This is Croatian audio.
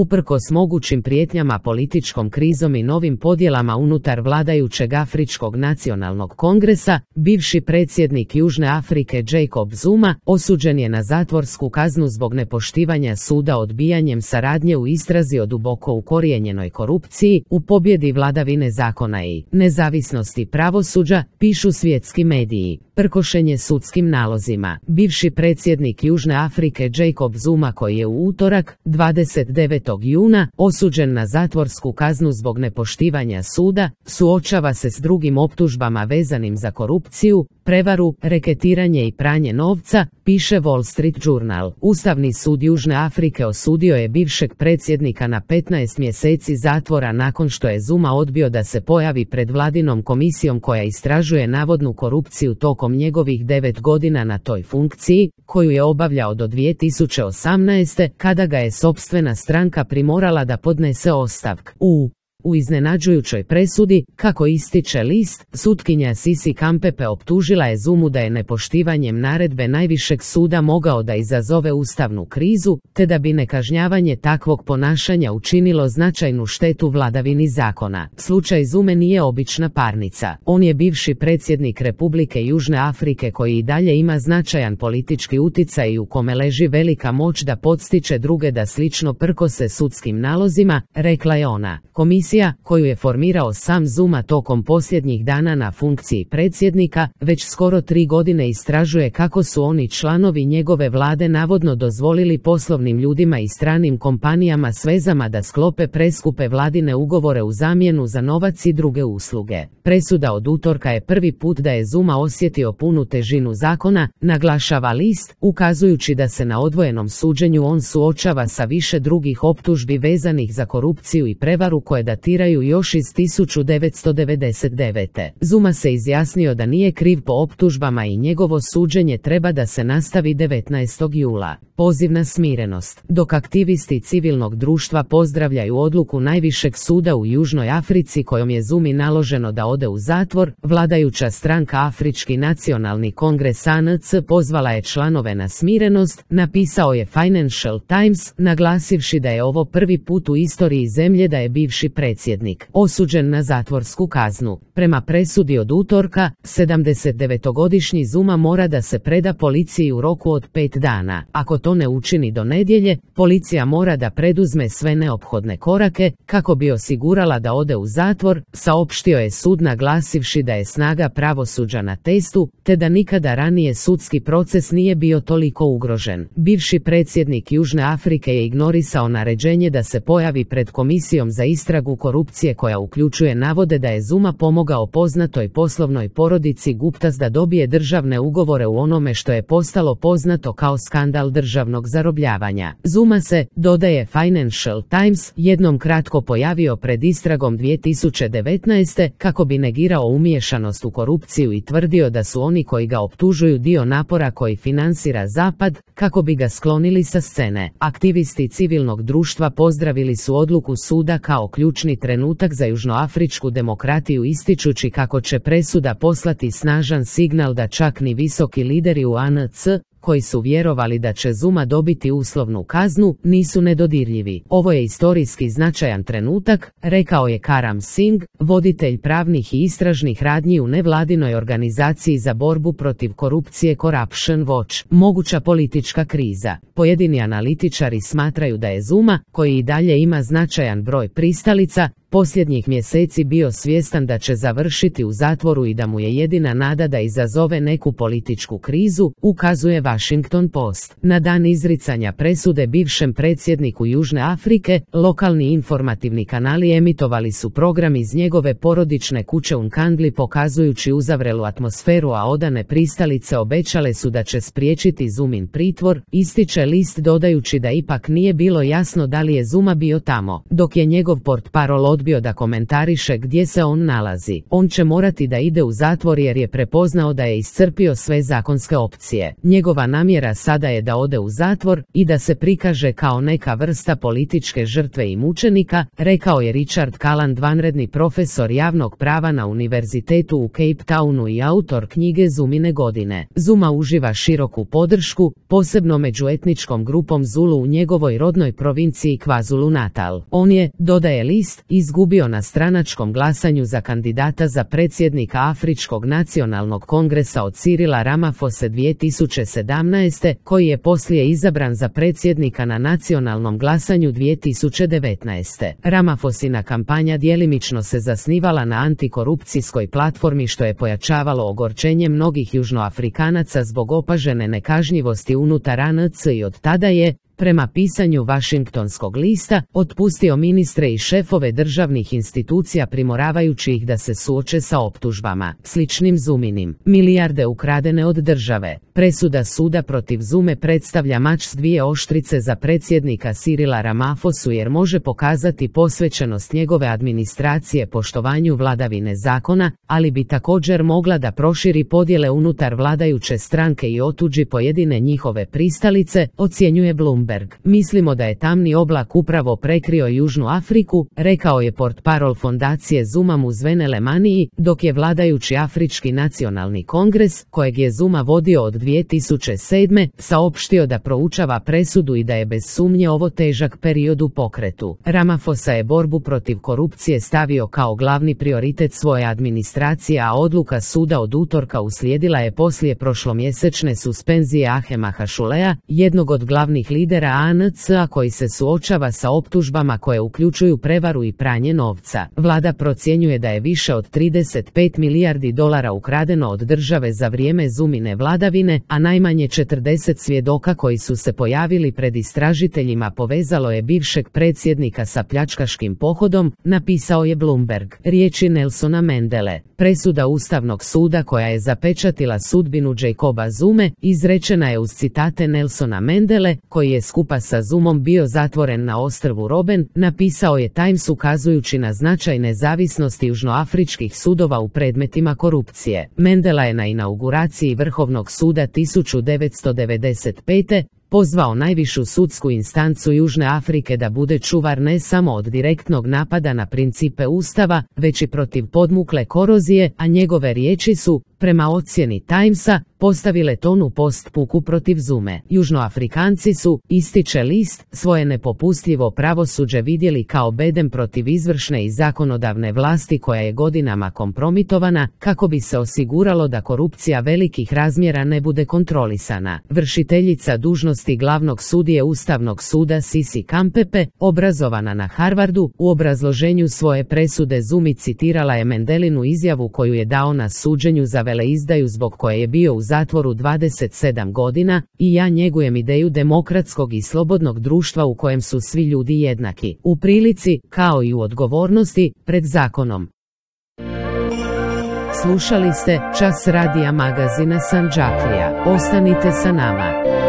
uprkos mogućim prijetnjama političkom krizom i novim podjelama unutar vladajućeg Afričkog nacionalnog kongresa, bivši predsjednik Južne Afrike Jacob Zuma osuđen je na zatvorsku kaznu zbog nepoštivanja suda odbijanjem saradnje u istrazi o duboko ukorijenjenoj korupciji, u pobjedi vladavine zakona i nezavisnosti pravosuđa, pišu svjetski mediji. Prkošenje sudskim nalozima. Bivši predsjednik Južne Afrike Jacob Zuma, koji je u utorak, 29. juna, osuđen na zatvorsku kaznu zbog nepoštivanja suda, suočava se s drugim optužbama vezanim za korupciju, prevaru, reketiranje i pranje novca, piše Wall Street Journal. Ustavni sud Južne Afrike osudio je bivšeg predsjednika na 15 mjeseci zatvora nakon što je Zuma odbio da se pojavi pred vladinom komisijom koja istražuje navodnu korupciju tokom njegovih 9 godina na toj funkciji, koju je obavljao do 2018. kada ga je sopstvena stranka primorala da podnese ostavku. U iznenađujućoj presudi, kako ističe list, sutkinja Sisi Kampepe optužila je Zumu da je nepoštivanjem naredbe najvišeg suda mogao da izazove ustavnu krizu, te da bi nekažnjavanje takvog ponašanja učinilo značajnu štetu vladavini zakona. Slučaj Zume nije obična parnica. On je bivši predsjednik Republike Južne Afrike koji i dalje ima značajan politički uticaj i u kome leži velika moć da podstiče druge da slično prkose sudskim nalozima, rekla je ona. Komisija koju je formirao sam Zuma tokom posljednjih dana na funkciji predsjednika, već skoro 3 godine istražuje kako su oni članovi njegove vlade navodno dozvolili poslovnim ljudima i stranim kompanijama s vezama da sklope preskupe vladine ugovore u zamjenu za novac i druge usluge. Presuda od utorka je prvi put da je Zuma osjetio punu težinu zakona, naglašava list, ukazujući da se na odvojenom suđenju on suočava sa više drugih optužbi vezanih za korupciju i prevaru koje datiraju još iz 1999. Zuma se izjasnio da nije kriv po optužbama i njegovo suđenje treba da se nastavi 19. jula. Poziv na smirenost. Dok aktivisti civilnog društva pozdravljaju odluku najvišeg suda u Južnoj Africi kojom je Zumi naloženo da ode u zatvor, vladajuća stranka Afrički nacionalni kongres ANC pozvala je članove na smirenost, napisao je Financial Times, naglasivši da je ovo prvi put u istoriji zemlje da je bivši predsjednik osuđen na zatvorsku kaznu. Prema presudi od utorka, 79-godišnji Zuma mora da se preda policiji u roku od 5 dana. Ako to ne učini do nedjelje, policija mora da preduzme sve neophodne korake kako bi osigurala da ode u zatvor, saopštio je sud naglasivši da je snaga pravosuđa na testu, te da nikada ranije sudski proces nije bio toliko ugrožen. Bivši predsjednik Južne Afrike je ignorisao naređenje da se pojavi pred komisijom za istragu korupcije koja uključuje navode da je Zuma pomogao poznatoj poslovnoj porodici Guptas da dobije državne ugovore u onome što je postalo poznato kao skandal državnog zarobljavanja. Zuma se, dodaje Financial Times, jednom kratko pojavio pred istragom 2019. kako bi negirao umiješanost u korupciju i tvrdio da su oni koji ga optužuju dio napora koji finansira Zapad, kako bi ga sklonili sa scene. Aktivisti civilnog društva pozdravili su odluku suda kao ključni trenutak za južnoafričku demokratiju, ističući kako će presuda poslati snažan signal da čak ni visoki lideri u ANC, koji su vjerovali da će Zuma dobiti uslovnu kaznu, nisu nedodirljivi. Ovo je istorijski značajan trenutak, rekao je Karam Singh, voditelj pravnih i istražnih radnji u nevladinoj organizaciji za borbu protiv korupcije Corruption Watch. Moguća politička kriza. Pojedini analitičari smatraju da je Zuma, koji i dalje ima značajan broj pristalica, posljednjih mjeseci bio svjestan da će završiti u zatvoru i da mu je jedina nada da izazove neku političku krizu, ukazuje Washington Post. Na dan izricanja presude bivšem predsjedniku Južne Afrike, lokalni informativni kanali emitovali su program iz njegove porodične kuće u Nkandli pokazujući uzavrelu atmosferu, a odane pristalice obećale su da će spriječiti Zumin pritvor, ističe list dodajući da ipak nije bilo jasno da li je Zuma bio tamo, dok je njegov portparol odbio da komentariše gdje se on nalazi. On će morati da ide u zatvor jer je prepoznao da je iscrpio sve zakonske opcije. Njegova namjera sada je da ode u zatvor i da se prikaže kao neka vrsta političke žrtve i mučenika, rekao je Richard Calland, vanredni profesor javnog prava na univerzitetu u Cape Townu i autor knjige Zumine godine. Zuma uživa široku podršku, posebno među etničkom grupom Zulu u njegovoj rodnoj provinciji KwaZulu Natal. On je, dodaje list, izgubio na stranačkom glasanju za kandidata za predsjednika Afričkog nacionalnog kongresa od Cyrila Ramaphosa 2017. koji je poslije izabran za predsjednika na nacionalnom glasanju 2019. Ramaphosina kampanja djelimično se zasnivala na antikorupcijskoj platformi što je pojačavalo ogorčenje mnogih južnoafrikanaca zbog opažene nekažnjivosti unutar ANC i od tada je, prema pisanju Washingtonskog lista, otpustio ministre i šefove državnih institucija primoravajući ih da se suoče sa optužbama, sličnim Zuminim. Milijarde ukradene od države. Presuda suda protiv Zume predstavlja mač s dvije oštrice za predsjednika Cyrila Ramaphosu jer može pokazati posvećenost njegove administracije poštovanju vladavine zakona, ali bi također mogla da proširi podjele unutar vladajuće stranke i otuđi pojedine njihove pristalice, ocjenjuje Bloomberg. Mislimo da je tamni oblak upravo prekrio Južnu Afriku, rekao je portparol fondacije Zuma Muzwene Maniji, dok je vladajući Afrički nacionalni kongres, kojeg je Zuma vodio od 2007. saopštio da proučava presudu i da je bez sumnje ovo težak period u pokretu. Ramaphosa je borbu protiv korupcije stavio kao glavni prioritet svoje administracije, a odluka suda od utorka uslijedila je poslije prošlomjesečne suspenzije Ahema Hašulea, jednog od glavnih lidera ANC-a koji se suočava sa optužbama koje uključuju prevaru i pranje novca. Vlada procjenjuje da je više od 35 milijardi dolara ukradeno od države za vrijeme Zumine vladavine, a najmanje 40 svjedoka koji su se pojavili pred istražiteljima povezalo je bivšeg predsjednika sa pljačkaškim pohodom, napisao je Bloomberg. Riječi Nelsona Mandele. Presuda Ustavnog suda koja je zapečatila sudbinu Jacoba Zume izrečena je uz citate Nelsona Mandele, koji je skupa sa Zumom bio zatvoren na ostrvu Robben, napisao je Times ukazujući na značaj nezavisnosti južnoafričkih sudova u predmetima korupcije. Mandela je na inauguraciji Vrhovnog suda 1995. pozvao najvišu sudsku instancu Južne Afrike da bude čuvar ne samo od direktnog napada na principe Ustava, već i protiv podmukle korozije, a njegove riječi su, prema ocjeni Timesa, postavile tonu postpuku protiv Zume. Južnoafrikanci su, ističe list, svoje nepopustljivo pravosuđe vidjeli kao bedem protiv izvršne i zakonodavne vlasti koja je godinama kompromitovana, kako bi se osiguralo da korupcija velikih razmjera ne bude kontrolisana. Vršiteljica dužnosti glavnog sudije Ustavnog suda Sisi Kampepe, obrazovana na Harvardu, u obrazloženju svoje presude Zumi citirala je Mandelinu izjavu koju je dao na suđenju za veleizdaju zbog koje je bio u zatvoru 27 godina, i ja njegujem ideju demokratskog i slobodnog društva u kojem su svi ljudi jednaki, u prilici, kao i u odgovornosti, pred zakonom. Slušali ste Čas radija magazina Sandžaklija. Ostanite sa nama.